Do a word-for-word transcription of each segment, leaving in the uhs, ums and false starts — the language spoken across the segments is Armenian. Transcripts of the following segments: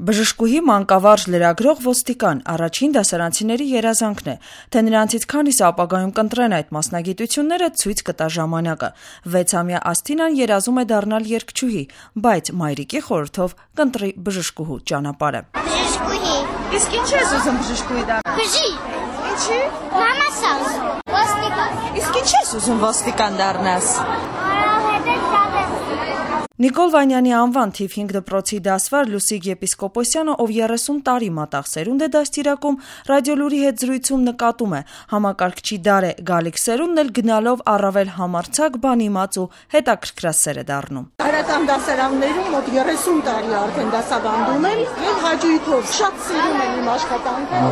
Բժշկուհի, մանկավարժ, լրագրող, ոստիկան առաջին դասարանցիների երազանքն է, թե նրանցից քանիսը ապագայում կընտրեն այդ մասնագիտությունները, ցույց կտա ժամանակը։ Վեցամյա Ասթինան երազում է դառնալ երգչուհի, բայց մայրիկի խորհրդով կընտրի բժշկուհու ճանապարհը։ Բժշկուհի։ Իսկ ինչ ես ուզում բժշկուհի դառնալ։ Բժի։ Ինչի՞։ Մամաս ուզում։ Ոստիկան։ Իսկ ինչ ես ուզում ոստիկան դառնաս։ Որովհետև շատ եմ Նիկոլ Վանյանի անվան թիվ հինգ դպրոցի դասվար Լուսիկ Եպիսկոպոսյանը, ով երեսուն տարի մատաղ սերունդ է դաստիարակում, Ռադիոլուրի հետ զրույցում նկատում է, համակարգչի դար է գալիք սերունդն էլ գնալով առավել համարձակ, բանիմաց ու հետաքրքրասեր է դառնում։ Հայրական դասարաններում մոտ երեսուն տարի արդեն դասավանդում եմ եւ հաճույքով շատ սիրում եմ իմ աշխատանքը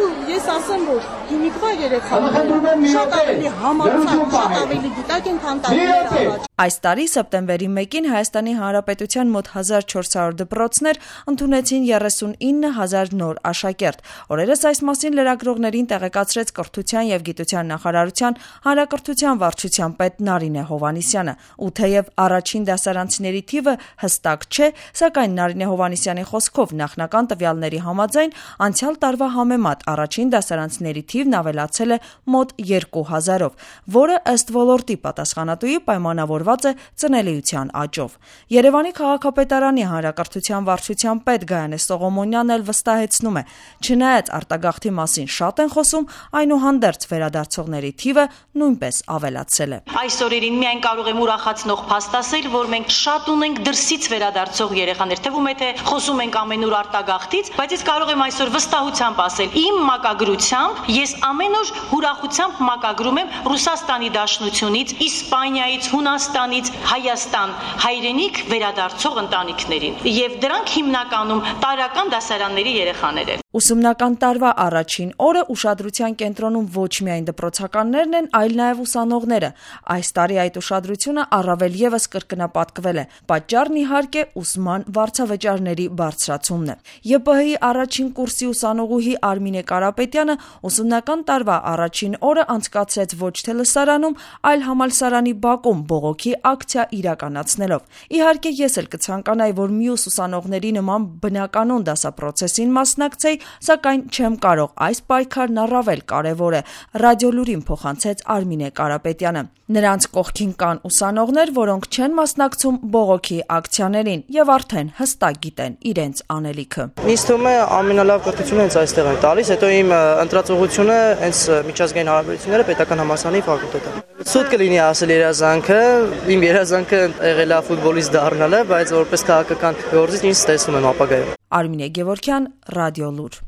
ու ես ասեմ, որ հիմիկվա երեխաները շատ ավելի համարձակ, շատ ավելի գիտակ են, քան տարիներ առաջ։ Այս տարի սեպտեմբերի մեկին Հայաստանի Հանրապետության մոտ հազար չորս հարյուր դպրոցներ ընդունեցին երեսունինը հազար նոր աշակերտ։ Օրերս այս մասին լրագրողներին տեղեկացրեց Կրթության եւ Գիտության նախարարության հանրակրթության վարչության պետ Նարինե Հովհաննիսյանը։ Ու թեև առաջին դասարանցիների թիվը հստակ չէ, սակայն Նարինե Հովհաննիսյանի խոսքով նախնական տվյալների համաձայն անցյալ տարվա համեմատ առաջին դասարանցիների թիվն ավելացել է մոտ երկու հազարով, որը ըստ ոլորտի պատասխանատուի պայմանավորված է ծնելիության աճով։ Երևանի քաղաքապետարանի հանրակրթության վարչության պետ Գայանե Սողոմոնյանն էլ վստահեցնում է, չնայած արտագաղթի մասին շատ են խոսում, այնուհանդերձ վերադարձողների թիվը նույնպես ավելացել է։ Այս օրերին միայն կարող եմ ուրախացնող փաստ ասել, որ մենք շատ ունենք դրսից վերադարձող երեխաներ, թվում է թե խոսում ենք ամենուր արտագաղթից, բայց ես կարող եմ այսօր վստահությամբ ասել, իմ մակագրությամբ ես ամեն օր ուրախությամբ մակագրում եմ Ռուսաստանի Դաշնությունից, Իսպանիայից, Հունաստանից, Հայաստան, հայրենիք վերադարձող ընտանիքներին, եւ դրանք հիմնականում տարրական դասարանների երեխաներ են։ Ուսումնական տարվա առաջին օրը ուշադրության կենտրոնում ոչ միայն դպրոցականներն են, այլ նաև ուսանողները։ Այս տարի այդ ուշադրությունը առավել եւս կրկնապատկվել է։ Պատճառն իհարկե ուսման վարձավճարների բարձրացումն է։ ԵՊՀ-ի առաջին կուրսի ուսանողուհի Արմինե Կարապետյանը ուսումնական տարվա առաջին օրը անցկացրեց ոչ թե լսարանում, այլ համալսարանի բակում բողոքի ակցիա իրականացնելով։ Իհարկե ես էլ կցանկանայի, որ մյուս ուսանողների նման բնականon դասապրոցեսին մասնակցեի, սակայն չեմ կարող, այս պայքարն առավել կարևոր է, Ռադիոլուրին փոխանցեց Արմինե Կարապետյանը։ Նրանց կողքին կան ուսանողներ, որոնք չեն մասնակցում բողոքի ակցիաներին եւ արդեն հստակ գիտեն իրենց անելիքը։ Ինձ թվում է ամենալավ կրթությունը հենց այստեղ են տալիս, հետո իմ ընտրածողությունը հենց միջազգային հարաբերությունները պետական համալսարանի ֆակուլտետը։ Սուտ կլինի ասել երազանքը, իմ երազանքը եղել է ֆուտբոլիստ դառնալը, բայց որպես քաղաքական գործիչ ինձ տեսնում եմ ապագայում։ Արմինե Գևորգյան, Ռադիոլուր։